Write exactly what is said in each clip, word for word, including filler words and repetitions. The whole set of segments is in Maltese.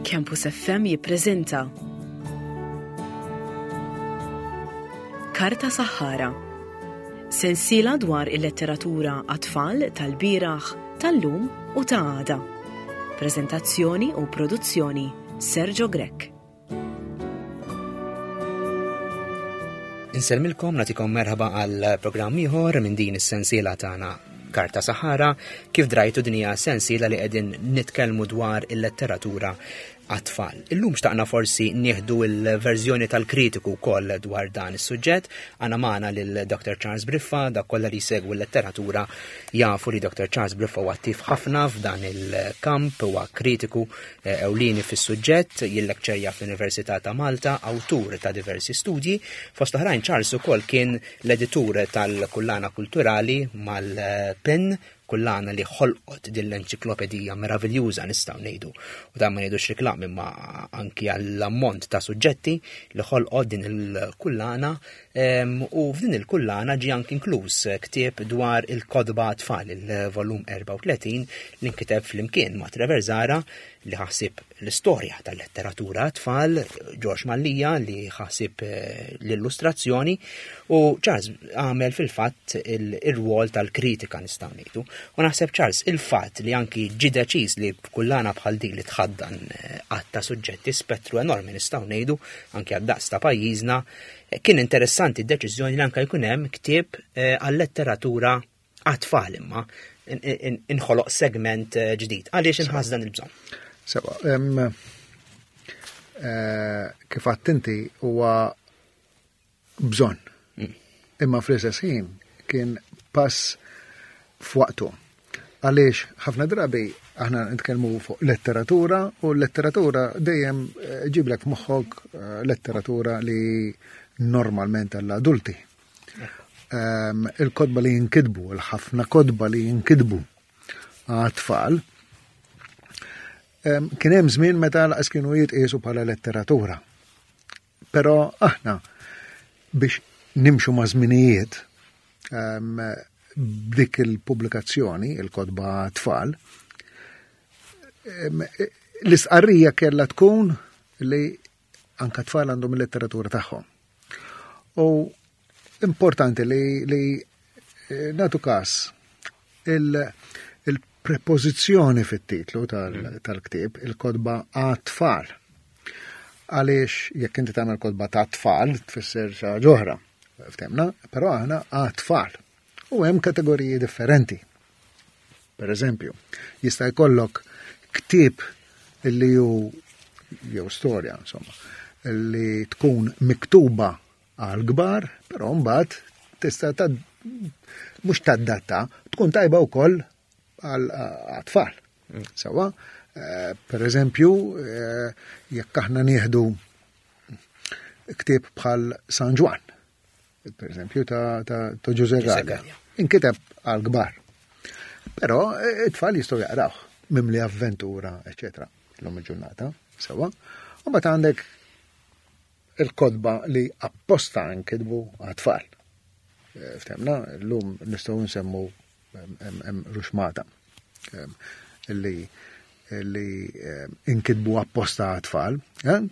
Campus F M jippreżenta Karta Saħħara. Sensiela dwar il-letteratura għat-tfal tal-bieraħ, tal-lum u ta' għada. Prezentazzjoni u produzzjoni Sergio Grech. Insellmilkom, nagħtikom merħba għal programm ieħor minn din is-sensiela tagħna Karta Saħħara. Kif drajtu, din hija sensiela li qegħdin nitkellmu dwar il-letteratura għat-tfal. Illum xtaqna forsi nieħdu il-verżjoni tal-kritiku wkoll dwar dan is-suġġett. Għandna magħna lil Doctor Charles Briffa. Dak kollha li jsegwu l-letteratura jafu li Doctor Charles Briffa huwa attiv ħafna f'dan il-kamp, huwa kritiku eh, ewlieni fis-suġġett, jillekċerja fl-Università ta' Malta, awtur ta' diversi studji. Fost oħrajn, Charles ukoll kien l-editur tal-Kullana Kulturali mal-PEN, kullana li ħolqot din l-enċiklopedija meraviljuża, nistgħu ngħidu. U dan ma ngħidux reklam, imma anki għall-ammont ta' suġġetti li ħolqot din il-kullana, em, u f'din il-kullana ġie anki inkluż ktieb dwar il-kotba tfal, il-volum erbgħa u tletin, li nkiteb flimkien ma' Trevor Zahra, li ħasib l-istorja tal-letteratura tfal, George Mallia li ħasib eh, l-illustrazzjoni, u Charles għamel fil-fatt il-rwol tal-kritika, nistgħu ngħidu. U naħseb, Charles, il-fatt li anki ġi deċiż li kullana bħal din li tħaddan eh, għadd ta' suġġetti, spettru enormi nistgħu ngħidu, anki għad-daqs ta' pajjiżna, eh, kien interessanti d-deċiżjoni li anke jkun hemm ktieb għal-letteratura għat-tfal, imma inħoloq segment ġdid. Għaliex inħass dan il-bżonn? Sewa, kif għedt inti, huwa bżonn. Mm. Imma fl-istess ħin kien pass f'waqtu. Għaliex ħafna drabi aħna nitkellmu fuq letteratura u l-letteratura dejjem eh, ġiblek f'moħħok eh, letteratura li normalment għall-adulti. Il-kotba li jinkitbu, il-ħafna kotba li jinkitbu għat-tfal, kien hemm żmien meta laqas kienu jitqiesu bħala letteratura. Però aħna, biex nimxu ma' żminijiet, b'dik il-pubblikazzjoni, il-kotba tfal, l-istqarrija kellha tkun li anka tfal għandhom il-letteratura tagħhom. U importanti li, li eh, nagħtu kas il-prepożizzjoni fit-titlu tal-ktieb, il-kotba għat-tfal. Għaliex jekk inti tagħmel kotba ta' tfal, tfisser xi ħaġa oħra, ftemna, però aħna għat-tfal. U hemm kategoriji differenti. Per eżempju, jista' jkollok ktieb li hu jew storja, insomma, li tkun miktuba għal kbar, però mbagħad tista' ta' mhux tadatta, tkun tajba wkoll għal tfal. Sewa, eh, per eżempju, eh, jekk aħna nieħdu ktieb bħal San Ġwann, per eżempju, ta', ta, ta Ġużè Galea. Inkiteb għal kbar. Però eh, it-tfal jistgħu jaqrawh, mimli avventura, eċetera. L-lum il-ġurnata, sewa. U mbagħad għandek il-kotba li apposta nkitbu għat-tfal. Eh, ftemna, l-lum nistgħu nsemmu ruxmata li li inkitbu apposta għat-tfal. Eh,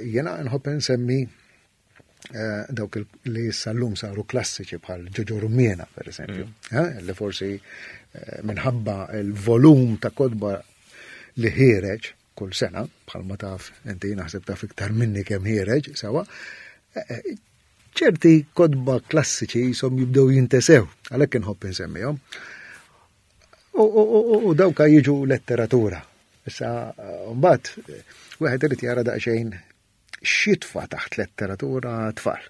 jena nħobb nsemmi eh, dawk li issa l-lum saru klassiċi bħal Ġoġo Rummiena, per eżempju, mm. li forsi minħabba il-volum ta' kotba li ħiereġ kull sena, bħal ma taf, inti naħseb taf iktar minni kemm ħiereġ, sewa, ċerti kotba klassiċi jisom jibdew jintesew, għalhekk inħobb insemmihom. U dawka jiġu letteratura. Issa, mbagħad, wieħed irid jara daqsxejn x'jitfa' taħt letteratura tfal.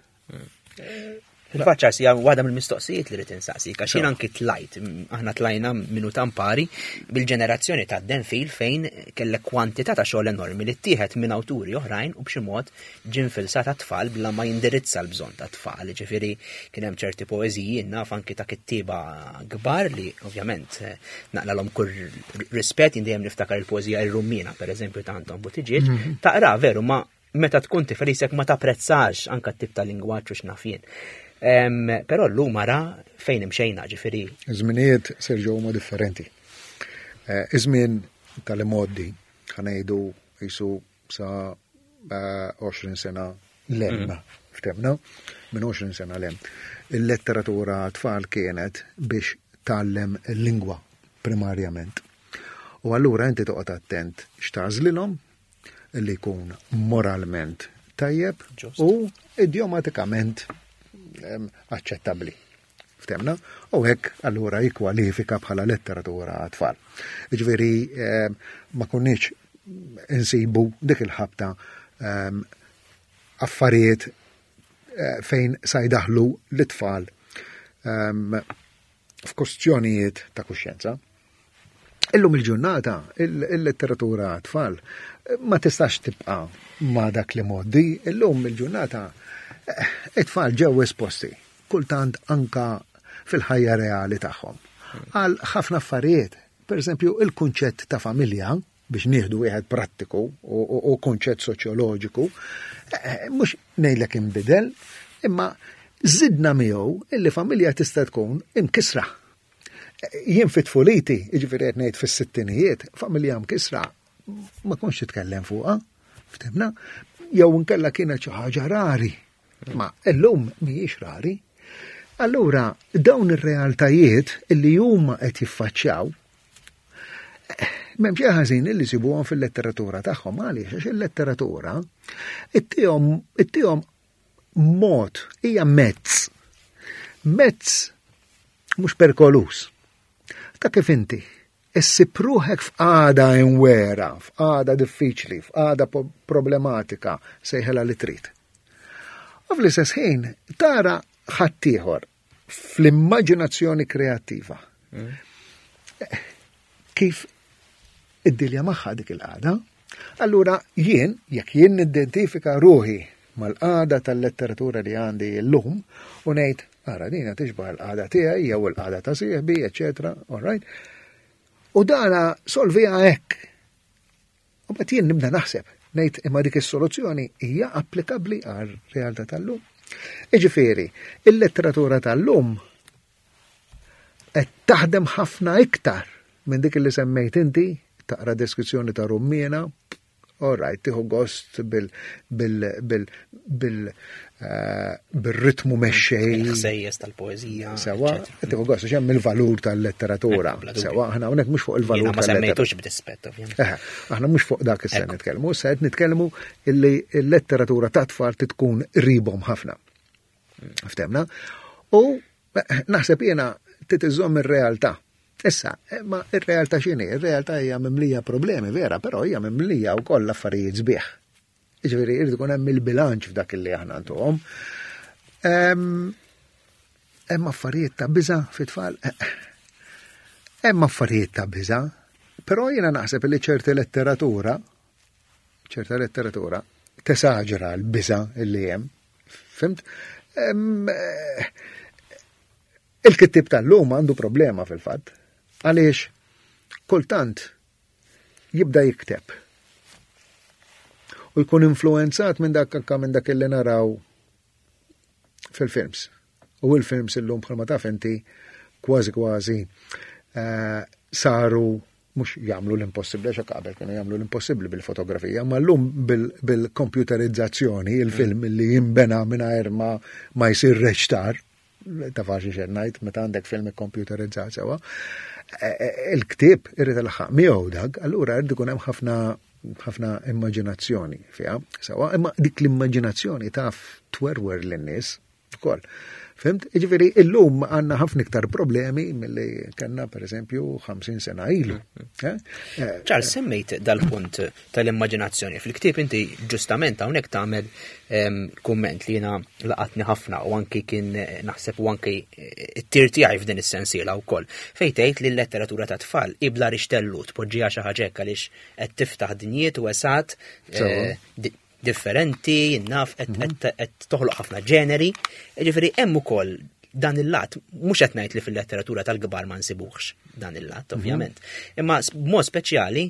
Fil-fatt, hija waħda mill-mistoqsijiet li rrid insaqsik, għax jien anki tlajt, aħna tlajna minnu tampari bil-ġenerazzjoni ta' Denfil, fejn kellek kwantità ta' xogħol enormi li ttieħed minn awturi oħrajn u b'xi mod ġie nfilsat ta' tfal bla ma jindirizza l-bżonn ta' tfal. Ġifieri kien hemm ċerti poeżiji, naf anki ta' kittieba kbar li ovvjament naqlalhom kull rispett, jien dejjem niftakar il-poeżija Ir-Rummina, pereżempju, ta' Anton Buttigieg, mhm. taqra veru, ma meta tkun tifel isek ma tapprezzax anka t-tip ta' lingwaġġ u x'naf jien. Però llum ara fejn imxejna, ġifieri. Iż-żminijiet, Sergio, huma differenti. Eh, iż-żmien tal-imgħoddi, ħa ngħidu jisu sa għoxrin sena lem, ftemna, minn għoxrin sena lem. Il-letteratura tfal kienet biex tgħallem il-lingwa primarjament. U allura inti toqgħod attent x'tagħżlilhom li jkun moralment tajjeb u idjomatikament aċċettabbli. Ftemna? U hekk allura jikkwalifika bħala letteratura għat-tfal. Jiġifieri ma konniex insibu dik il-ħabta affarijiet fejn sa jdaħlu l-tfal f'kustjonijiet ta' kuxjenza. Illum il-ġurnata, il-letteratura tfal ma tistax tibqa' ma' dak li moddi, illum il-ġurnata it-tfal ġew esposti, kultant anka fil-ħajja reali tagħhom. Għal ħafna affarijiet, per eżempju, il-kunċett ta' familja, biex nieħdu wieħed prattiku u kunċett soċjoloġiku, mhux ngħidlek inbidel, imma żidna miegħu illi familja tista' tkun imkisra. Jien fit-tfuliti, jiġifieri qed ngħid fis-sittinijiet, familja mkisra ma kontx titkellem fuqha, ftemna, jew inkella kienet xi ħaġa rari, ma llum mhijiex rari. Allura dawn ir-realtajiet illi huma qed jiffaċċjaw, m'hemm xejn ħażin illi sibuhom fil-letteratura tagħhom, għaliex għax il-letteratura ittihom ittihom mod, hija mezz. Mezz mhux perkolus. Ta' kif inti issib ruħek f'qagħda imwera, f'qagħda diffiċli, f'qagħda problematika, sejħela li trid. U fl-istess ħin tara ħaddieħor fl-immaġinazzjoni kreattiva. Kif id-dilja magħha dik il-qagħda. Allura jien, jekk jien nidentifika ruħi mal-qagħda tal-letteratura li għandi llum u ngħid, ara dina tixbaħ il-qagħda tiegħi jew il-qagħda ta' sieħbi, eċetera, all right? U dana solvija hekk. U mbagħad jien nibda naħseb, ngħid imma dik is-soluzzjoni hija applikabbli għar-realtà tal-lum. Jiġifieri, il-letteratura tal-lum qed taħdem ħafna iktar minn dik li semmejt inti, taqra deskrizzjoni ta' rummiena, all right, tieħu gost bil-ritmu mexxej. Il-ħsejjes tal-poeżija. Sewa, tieħu gost għax hemm il-valur tal-letteratura. Sewa, aħna hawnhekk mhux fuq il-valur tal-letteratura. Ma semmejtux b'dispett, ovvjament. Aħna mhux fuq dak issa nitkellmu, issa qed nitkellmu illi l-letteratura ta' tfal tkun qribhom ħafna. Ftemna? U naħseb jiena titiżomm ir-realtà. Issa, ma ir-realtà x'inhi? Ir-realtà hija mimlija problemi, vera, però hija mimlija wkoll affarijiet sbieħ. Jiġifieri irid ikun hemm il-bilanċ f'dak li aħna ntuhom. Hemm affarijiet ta' biża' fit-tfal. Hemm affarijiet ta' biża', però jiena naħseb li ċerti letteratura, ċerta letteratura tesaġera l-biża' li hemm. Fimt? Il-kittib tal-lum għandu problema fil-fatt. Għaliex kultant jibda jikteb u jkun influenzat minn dak anka minn dak li naraw fil-films. U il-films illum bħalma taf inti kważi kważi saru mhux jagħmlu l-impossibbli, għax qabel kienu jagħmlu l-impossibbli bil-fotografija, ma llum bil-computerizzazzjoni, il-film li jinbena mingħajr ma ma jsir reċtar, ta' faċli xejn ngħid meta għandek film ikkomputerizzat sewa. Il-ktieb irid ilħaq miegħu dak, allura irid ikun hemm ħafna ħafna immaġinazzjoni fiha, sewa, imma dik l-immaġinazzjoni taf twerwer lin-nies ukoll. Fimt? Jiġifieri illum għandna ħafna iktar problemi milli kellna pereżempju ħamsin sena ilu. Charles, semmejt dal-punt tal-immaġinazzjoni. Fil-ktieb inti ġustament hawnhekk tagħmel kumment li jiena laqatni ħafna u anki kien naħseb u anki t-tir tiegħi f'din is-sensiela wkoll. Fejn tgħid li l-letteratura ta' tfal ibla rixtellu tpoġġiha xi ħaġa hekk għaliex qed tiftaħ dinjiet u esat differenti, naf qed toħloq ħafna ġeneri. Jiġifieri hemm ukoll dan il-lat, mhux qed ngħid li fil-letteratura tal-kbar ma nsibuhx dan il-lat, ovvjament. Imma b'mod speċjali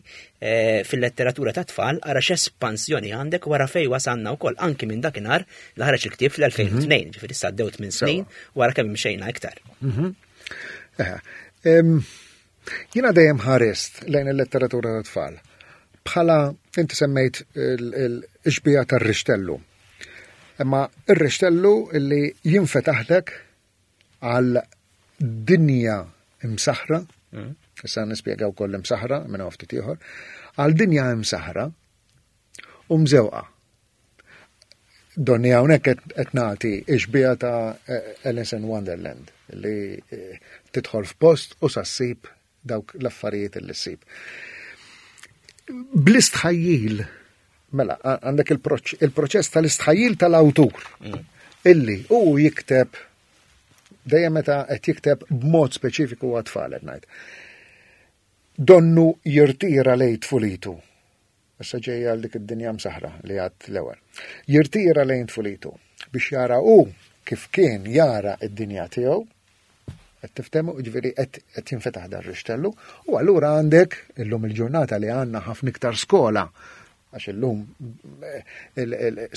fil-letteratura ta' tfal ara x'espansjoni għandek wara fejn wasalna wkoll anki minn dakinhar li ħareġ il-ktieb fl-elfejn u tnejn, ġifieri issa għaddew tmien snin wara kemm imxejna iktar. Jiena dejjem ħarist lejn il-letteratura ta' tfal bħala Inti semmejt il-xbija tar-rixtellu. Imma ir-rixtellu illi jinfetaħlek għal dinja imsaħra, mm. issa nispjega wkoll imsaħra minn ftit ieħor, għal dinja imsaħra u mżewqa. Donni hawnhekk qed nagħti xbija ta' Alice in Wonderland li eh, tidħol f'post u sa ssib dawk l-affarijiet li ssib. Bl-istħajjil, mela, għandek il-proċess tal-istħajjil tal-awtur mm. illi hu jikteb dejjem meta qed jikteb b'mod speċifiku għat-tfal qed ngħid. Donnu jirtira lejn tfulitu. Issa ġejja għal dik id-dinja msaħra li għad l-ewwel. Jirtira lejn tfulitu biex jara hu kif kien jara id-dinja tiegħu, qed tiftehmu, ġifieri qed jinfetaħ dar rixtellu, u allura għandek illum il-ġurnata li għandna ħafna iktar skola, għax illum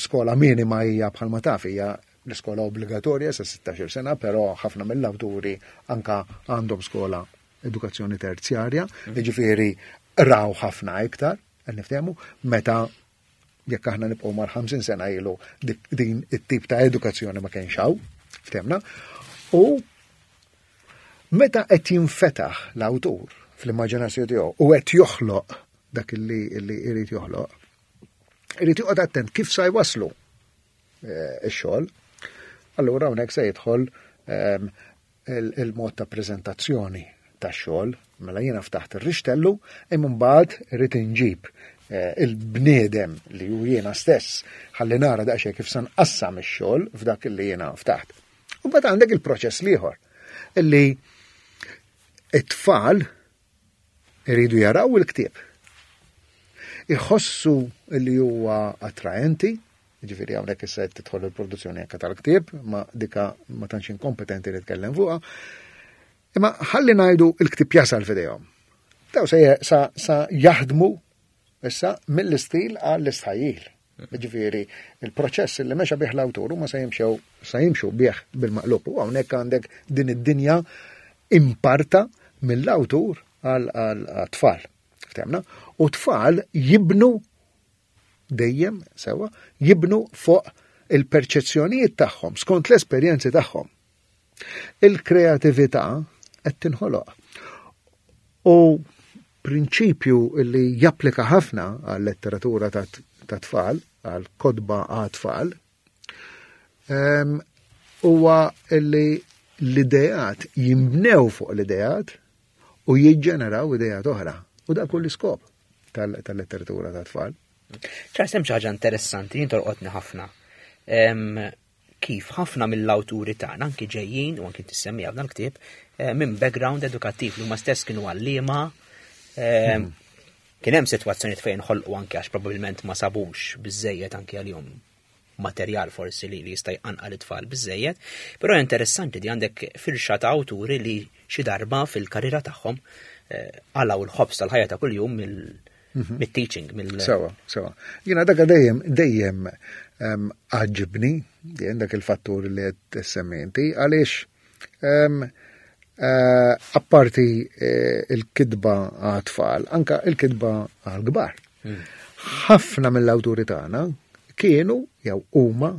skola minima hija bħalma taf hija l-iskola obbligatorja sa sittax-il sena, però ħafna mill-awturi anka għandhom skola edukazzjoni terzjarja, ġifieri raw ħafna iktar, qed niftehmu, meta jekk aħna nibqgħu mar ħamsin sena ilu din it-tip ta' edukazzjoni ma kienx hawn, ftehmna, u meta qed jinfetaħ l-awtur fl-immaġinazzjoni tiegħu u qed joħloq dak li jrid joħloq, irid joqgħod attent kif sa jwaslu eh, ix-xogħol. Allura hawnhekk se jidħol ehm, il-mod ta' preżentazzjoni tax-xogħol, mela jiena ftaħt ir-rixtellu, imma mbagħad irid inġib eh, il-bniedem li hu jiena stess ħalli nara daqsxejn kif se nqassam ix-xogħol f'dak li jiena ftaħt. U mbagħad għandek il-proċess l-ieħor illi it-tfal iridu jaraw il-ktieb. Iħossu li huwa attraenti, ġifieri hawnhekk issa qed tidħol il-produzzjoni anke tal-ktieb, ma dika ma tantx inkompetenti li tkellem fuqha. Imma ħalli ngħidu il-ktieb jasal f'idejhom. Daw sa, sa, sa jaħdmu issa mill-istil għall-istħajjil. Ġifieri il-proċess li mexa bih l-awtur huma sa jimxew sa jimxu bih bil-maqlub. U hawnhekk għandek din id-dinja imparta mill-awtur għal tfal. Ftehmna? U tfal jibnu dejjem sewa, jibnu fuq il-perċezzjonijiet tagħhom skont l-esperjenzi tagħhom. Il-kreatività qed tinħoloq. U prinċipju li japplika ħafna għal letteratura ta' tfal, għal kotba għal tfal, huwa li l-idejat jimbnew fuq l-idejat u jiġġeneraw idejat oħra. U dak kull iskop tal-letteratura ta' tfal. Charles, hemm xi ħaġa interessanti jien tolqotni ħafna. Kif ħafna mill-awturi tagħna anki ġejjin u anki tissemmija f'dan il-ktieb eh, minn background edukattiv li huma stess kienu għalliema. Hmm. Kien hemm sitwazzjonijiet fejn ħolqu anke għax probabbilment ma sabux biżejjed anki għalihom materjal forsi li jista' jqanqal it-tfal biżejjed, però interessanti di għandek firxa ta' awturi li xi darba fil-karriera tagħhom eh, qalgħu l-ħobż tal-ħajja ta' kuljum mill mhm. mit-teaching. Mill Sewa, sewa. Jiena dak dejjem dejjem għaġibni, dejjem dak il-fattur li qed semmi inti, għaliex eh, apparti eh, il-kitba għat-tfal, anka il-kitba għal-kbar. Hmm. Ħafna mill-awturi tagħna kienu jew huma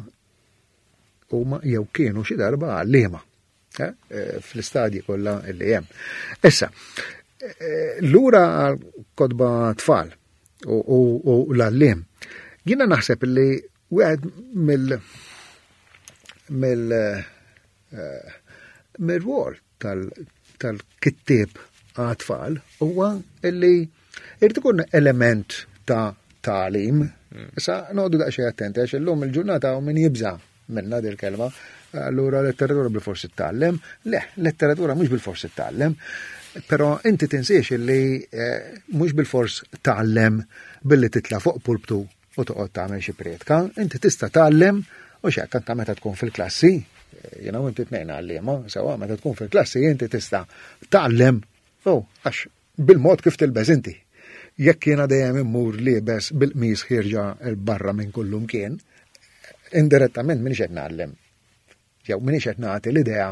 huma jew kienu xi darba għalliema eh, fl-istadji kollha li hemm. Issa, lura għal kotba tfal u l-għalliem. Jiena naħseb li wieħed mill mill mill-rwol tal-kittieb għat-tfal huwa illi irid ikun element ta' tagħlim. Issa noqogħdu daqsxejn attenti għax illum il-ġurnata u min jibża' minna dil-kelma. Allura letteratura bil-forsi tgħallem. Le, letteratura mhux bil-forsi tgħallem. Però inti tinsiex illi eh, mhux bil-fors tgħallem billi titla' fuq pulptu u toqgħod tagħmel xi prietka, inti tista' tgħallem u x'hekk anke meta tkun fil-klassi, jiena u inti tnejn għalliema, sewa meta tkun fil-klassi inti tista' tgħallem oh, għax bil-mod kif tilbeż inti. Jekk jiena dejjem immur liebes bil-qmis ħierġa 'l barra minn kullum kien, indirettament minix qed ngħallem. Jew minix qed nagħti l-idea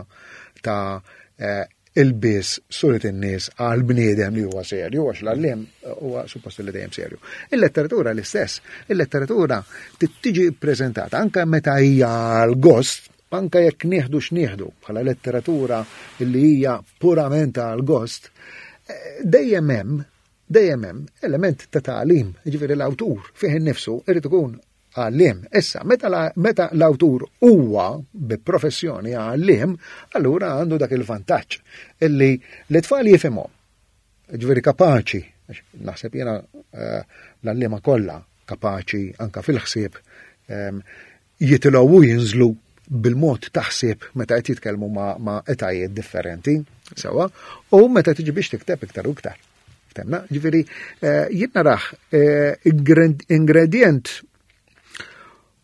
ta' eh, Ilbies suret in-nies għal bniedem li huwa serju, għax l-għalliem huwa suppost li dejjem serju. Il-letteratura l-istess, il-letteratura tiġi ppreżentata anke meta hija għal gost, anke jekk nieħdu x'nieħdu bħala letteratura li hija purament għal gost, eh, dejjem hemm dejjem hemm element ta' tagħlim, jiġifieri l-awtur fih innifsu irid ikun għalliem. Issa, meta, la, meta l-awtur huwa bi professjoni għalliem, allura għandu dak il-vantaġġ illi l-tfal jifhimhom. Ġifieri kapaċi, naħseb jiena eh, l-għalliema kollha kapaċi anka fil-ħsieb ehm, jitilgħu u jinżlu bil-mod taħsib meta qed jitkellmu ma', ma etajiet differenti, sewa, u meta tiġi biex tikteb iktar u iktar. Temna, ġifieri, eh, jien narah eh, ingredient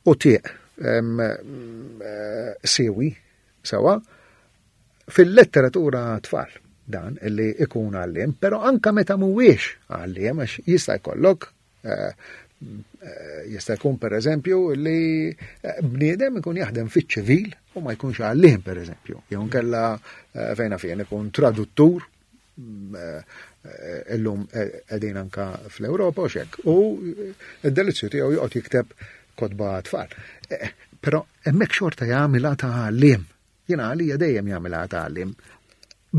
u tieq eh, sewi, sewa, fil-letteratura tfal dan illi ikun għalliem, pero anka meta mhuwiex għalliem, għax jista' jkollok jista' jkun per eżempju li bniedem ikun jaħdem fiċ-ċivil u ma jkunx għalliem per eżempju. Jew nkella fejna fejn ikun traduttur illum qegħdin anka fl-Ewropa u xek. U id-delizzju tiegħu joqgħod jikteb kotba tfal. Però hemmhekk xorta jagħmilha ta' għalliem. Jiena għalija dejjem jagħmilha ta' għalliem.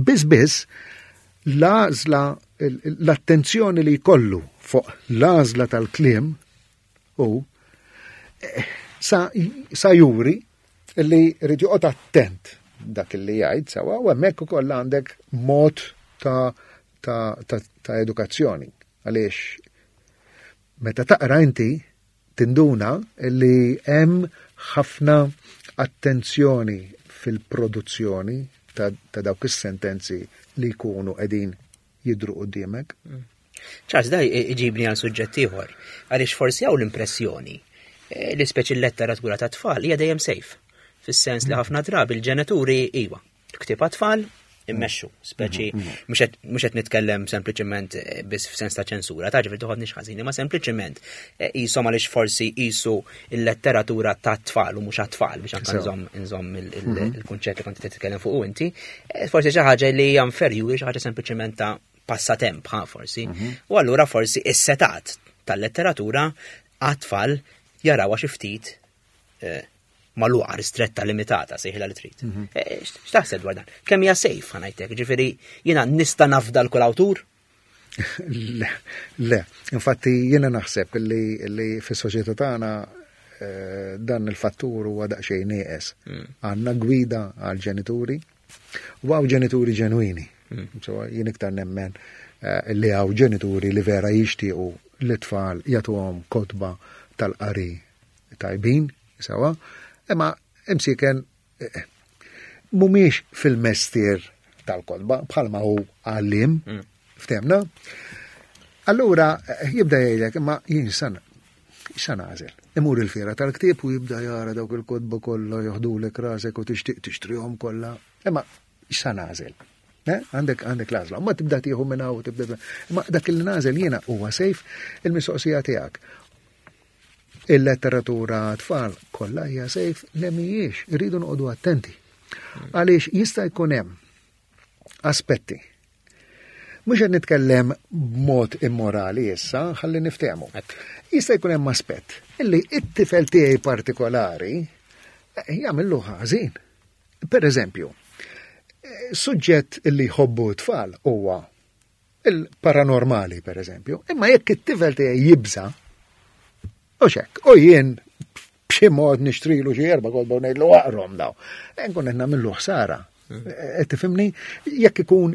Biss biss l-għażla l-attenzjoni li jkollu fuq l-għażla tal-kliem u sa, sa juri li rrid joqgħod attent dak li jgħid sewa u hemmhekk ukoll għandek mod ta' ta', ta, ta edukazzjoni. Għaliex meta taqra inti tinduna li hemm ħafna attenzjoni fil-produzzjoni ta', ta dawk is-sentenzi li jkunu qegħdin jidru quddiemek. Mm. Charles, da iġibni għal suġġett ieħor, għaliex forsi hawn l-impressjoni eh, li speċi l-letteratura ta' tfal hija dejjem safe. Fis-sens li ħafna drabi il-ġenituri iwa, ktieb tfal immexxu, speċi mhux qed nitkellem sempliċement eh, biss f'sens ta' ċensura, ta' ġifieri toħodniex ħażin, ma sempliċement eh, qishom għaliex forsi qisu il-letteratura ta' tfal u mhux għat-tfal biex anke nżomm nżomm il-kunċett li kont titkellem fuq inti, eh, forsi xi ħaġa li hija inferjuri, xi ħaġa sempliċement ta' passatemp, ha, forsi. U allura forsi is-setat tal-letteratura għat-tfal jarawha xi ftit magħluqa, ristretta, limitata, sejħilha li trid. Mhm. Eh, x'taħseb dwar dan? Kemm hija safe ħa ngħidlek, ġifieri jiena nista' nafda l kull awtur? Le, le, infatti jiena naħseb li, li fis-soċjetà tagħna eh, dan il-fattur huwa daqsxejn nieqes. Mm. Għandna gwida għal ġenituri u hawn ġenituri ġenwini. Mm. So, jien iktar nemmen eh, li hawn ġenituri li vera jixtiequ l-tfal jagħtuhom kotba tal-qari tajbin, sewa, imma imsiken eh, mhumiex fil-mestier tal-kotba bħalma hu għallim, mm. ftemna. Allura eh, jibda jgħidlek imma jien san xa nagħżel. Imur il-fiera tal-ktieb u jibda jara dawk il-kotba kollha joħdulek rasek u tixtieq tixtrihom kollha. Imma xa nagħżel. Eh, għandek għandek l-għażla. Ma tibda tieħu minn hawn tibda. Imma dak il nagħżel jiena huwa safe il-mistoqsija tiegħek. Il-letteratura tfal kollha hija safe le mhijiex, irridu noqogħdu attenti. Għaliex jista' jkun hemm aspetti. Mhux qed nitkellem b'mod immorali issa, ħalli niftehmu. Jista' jkun hemm aspett illi it-tifel tiegħi partikolari eh, jagħmillu ħażin. Per eżempju, eh, suġġett illi jħobbu tfal huwa il-paranormali, per eżempju, imma jekk it-tifel tiegħi jibża, u xek, u jien b'xi mod nixtrilu xi erba' kotba u ngħidlu aqrahom daw. E nkun qed nagħmillu ħsara. Qed tifhimni? Jekk ikun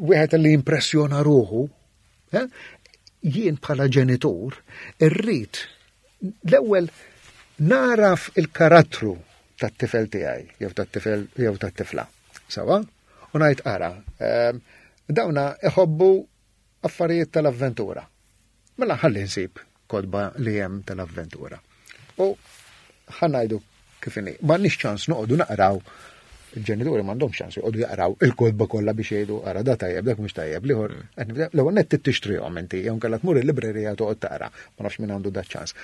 wieħed li impressjona ruħu, eh, jien bħala ġenitur irrid l-ewwel naraf il-karattru tat-tifel tiegħi jew tat-tifel jew tat-tifla. Sawa? U ngħid ara, ehm, dawna iħobbu affarijiet tal-avventura. Mela ħalli nsib kotba li hemm tal-avventura. U ħa ngħidu kif inhi, m'għandniex ċans noqogħdu naqraw il-ġenituri m'għandhomx ċans joqogħdu jaqraw il-kotba kollha biex jgħidu ara da tajjeb, dak mhux tajjeb, l-ieħor l-ewwel nett tixtrihom inti jew kellha tmur il-librerija toqgħod taqra, ma nafx min għandu da ċans.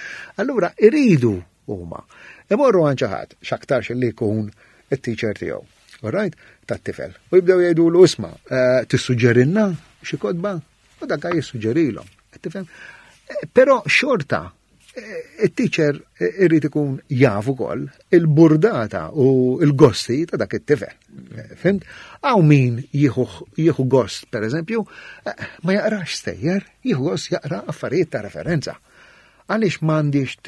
Allura iridu huma imorru għand xi ħadd x'aktarx li jkun it-teacher tiegħu. All right, tat-tifel. U jibdew jgħidulu isma', eh, tissuġġerilna xi kotba u dak jissuġġerilhom. Tifhem? Eh, però xorta eh, it-teacher irrid ikun jaf ukoll il-burdata u l-gosti ta' dak it-tifel. Fhimt? Hawn min jieħu gost, per eżempju, ma jaqrax stejjer, jieħu gost jaqra affarijiet ta' referenza. Għaliex m'għandix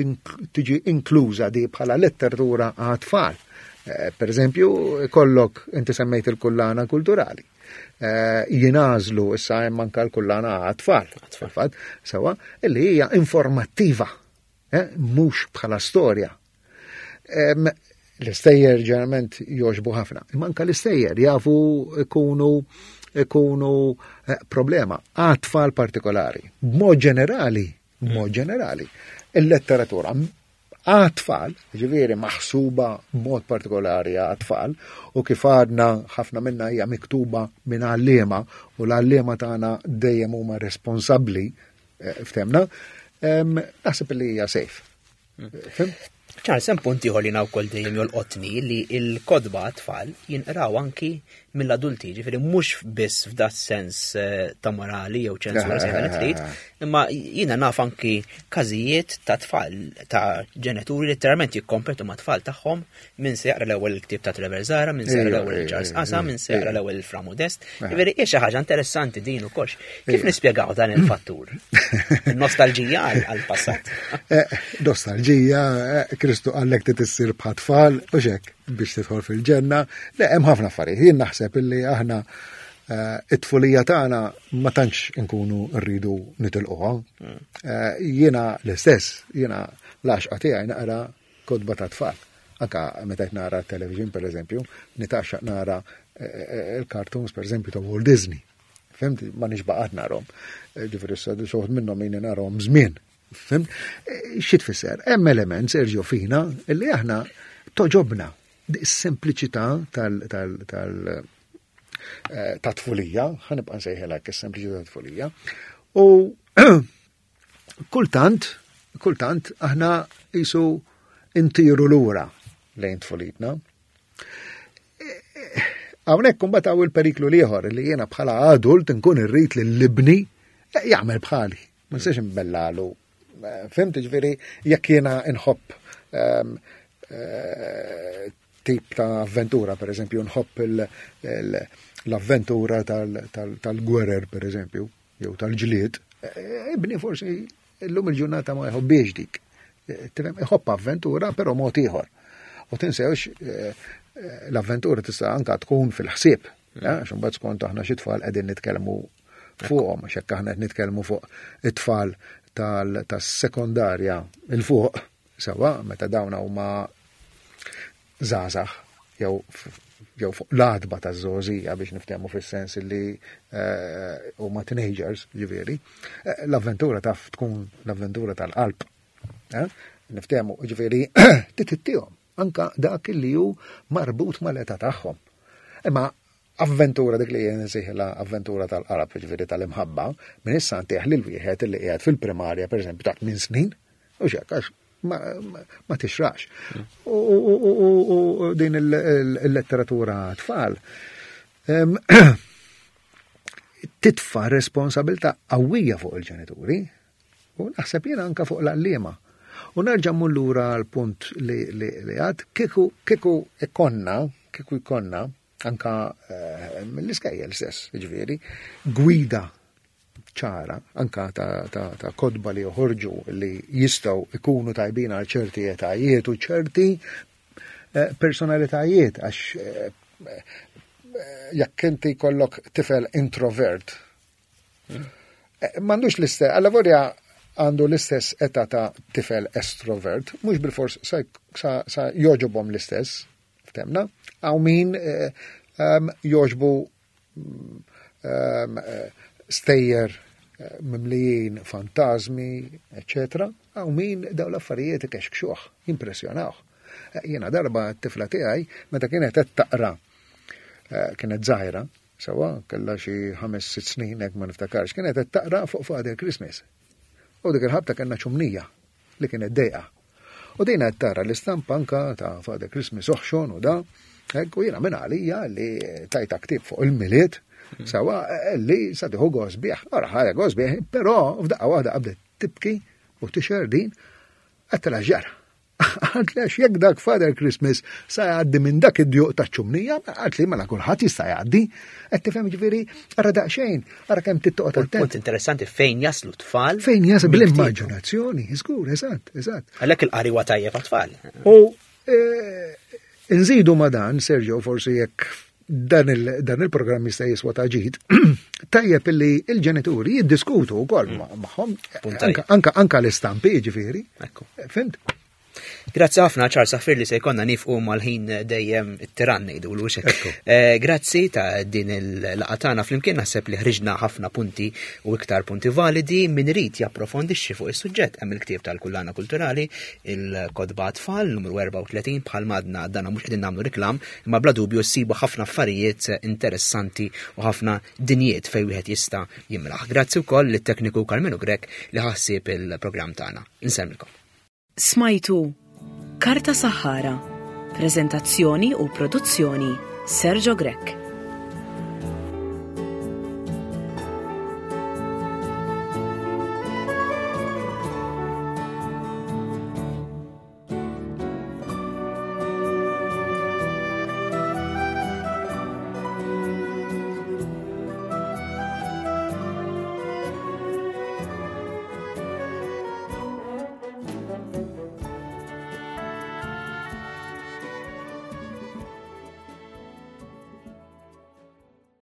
tiġi inkluża di bħala letteratura għat-tfal? Eh, per eżempju, kollok inti semmejt il-kullana kulturali. Eh, jingħażlu issa hemm anke l-kullana għat-tfal. Fil-fatt, sewa, illi hija informattiva, eh, mhux bħala storja. L-istejjer ġeneralment jogħġbu ħafna. Imma anke l-istejjer jafu ikunu ikunu problema għat-tfal partikolari. B'mod ġenerali, b'mod ġenerali, il-letteratura għat-tfal, ġifieri maħsuba b'mod partikolari għat-tfal, u kif għadna ħafna minna hija miktuba minn għalliema, u l-għalliema tagħna dejjem huma responsabbli, eh, ftemna, naħseb li hija safe. Fhimt? Charles, hemm punt ieħor li wkoll dejjem jolqotni li l-kotba tfal jinqraw anki mill-adulti, ġifieri mhux biss f'dat sens eh, ta' morali jew ċensura se trid, imma jiena naf anki każijiet ta' tfal ta' ġenituri letteralment jikkompetu ma' tfal tagħhom min se jaqra l-ewwel il-ktieb ta' Trevor Zahra, min se jaqra l-ewwel Charles Qasa, min se jaqra l-ewwel il-Fra Modest. Ġifieri hija xi ħaġa interessanti din ukoll. Kif nispjegaw dan il-fattur? Nostalġija għall-passat. Eh, nostalġija, eh, Kristu qallek trid issir bħat-tfal u xek biex tidħol fil-ġenna. Le, hemm ħafna affarijiet. Jien naħseb illi aħna eh, it-tfulija tagħna ma tantx inkunu rridu nitilquha. Eh, jiena l-istess, jiena l-għaxqa tiegħi naqra kotba ta' tfal. Anka meta qed nara television per eżempju, nitgħaxxaq nara eh, il-cartoons per eżempju ta' Walt Disney. Fhimt, ma nixbaqat narhom. Ġifieri issa xi minnhom jien narhom żmien. Fhimt? Xi tfisser? Hemm element Sergio fina illi aħna togħġobna is-sempliċità tal tal tal eh, ta' tfulija, ħa nibqa' nsejħilha is-sempliċità ta' tfulija. U kultant, kultant aħna jisu intiru lura lejn tfulitna. Hawnhekk imbagħad hawn il-periklu l-ieħor li jiena bħala adult nkun irrid li l-ibni jagħmel bħali. Ma nistax imbellalu. Fhimt ġifieri jekk jiena nħobb ehm, eh, tip ta' avventura, per eżempju, nħobb l-avventura tal-gwerer, per eżempju, jew tal-ġlied, eh, ibni forsi illum il-ġurnata ma jħobbiex dik. Eh, tifhem, iħobb avventura, però mod ieħor. U tinsewx l-avventura tista' anka tkun fil-ħsieb, għax imbagħad skont aħna xi tfal qegħdin nitkellmu fuqhom, għax hekk aħna qed nitkellmu fuq it-tfal tas-sekondarja 'il fuq, sewa, meta dawn huma żgħażagħ jew jew fuq l-għatba taż-żgħożija biex niftehmu fis-sens li eh, huma teenagers, ġifieri, eh, l-avventura taf tkun l-avventura tal-qalb. Eh? Niftehmu, ġifieri, titittihom anka dak li hu marbut mal-età tagħhom. Imma avventura dik li jien nsejħilha avventura tal-qalb, ġifieri tal-imħabba, minn issa ntih lil wieħed li qiegħed fil-primarja pereżempju ta' tmien snin, u xek, għax ma, ma, ma tixrax. U, u, u, u, u din il-letteratura tfal em, titfa responsabilta qawwija fuq il-ġenituri u naħseb jiena anka fuq l-għalliema. U nerġa' mmur lura għal-punt li, li, li għad, kieku, kieku ikonna, kieku ikonna, anka eh, mill-iskejjel stess, ġifieri, gwida ċara, anka ta', ta, ta' kotba li joħorġu li jistgħu ikunu tajbin għal ċerti etajiet u ċerti eh, personalitajiet, għax eh, eh, jekk inti kollok tifel introvert, eh, m'għandux l-istess, alla volja għandu l-istess età ta' tifel estrovert, mhux bil-fors sa, sa, sa jogħġobhom l-istess, ftemna, hawn min eh, um, jogħġbu um, eh, stejjer eh, mimlijin fantazmi, eccetera, hawn min daw l-affarijiet ikexkxuh, jimpressjonawh. Eh, Jiena darba t-tifla tiegħi meta kienet qed taqra eh, kienet żgħira, sewa kellha xi ħames sitt snin hekk ma niftakarx, kienet qed taqra fuq Father Christmas. U dik il-ħabta kellna ċumnija li kienet dejqa. U dejna qed tara l-istampa anka ta' Father Christmas oħxon u da, Ekku jiena minn għalija li tajtha ktieb fuq il-Milied, sewwa li sa tieħu gost bih, ora ħadet gost bih, però f'daqqa waħda qabdet tibki u tixher din, għedtilha x'ġara. Qaltli għax jekk dak Father Christmas sa jgħaddi minn dak id-djuq ta' ċumnija, qaltli mela kulħadd jista' jgħaddi. Qed tifhem ġifieri, ara daqsxejn, ara kemm trid toqgħod attent. Punt interessanti fejn jaslu tfal. Fejn jaslu bl-immaġinazzjoni, żgur, eżatt, eżatt. Għalhekk il-qari huwa tajjeb għat-tfal. U eh, nżidu ma dan, Sergio, forsi jekk dan il-programm jista' jiswa ta' ġid, tajjeb illi il-ġenituri jiddiskutu wkoll mm. magħhom anka anka l-istampi ġifieri. Fhimt? Grazzi ħafna Charles Saffir li se jkollna nieqfu mal-ħin dejjem it-tiran ngħidu l Grazzi ta' din il-laqgħa tagħna flimkien naħseb li ħriġna ħafna punti u iktar punti validi min irid japprofondixxi fuq is-suġġett hemm il-ktieb tal-Kullana Kulturali, il-Kotba Tfal numru erbgħa u tletin bħal madna dana mhux qegħdin nagħmlu reklam, imma bla dubju ssibu ħafna affarijiet interessanti u ħafna dinjiet fejn wieħed jista' jimraħ. Grazzi wkoll lit-tekniku Carmenu Grek li ħassib il-programm tagħna. Insellmilkom. Smajtu Karta Saħħara, prezentazzjoni u produzzjoni Sergio Grech.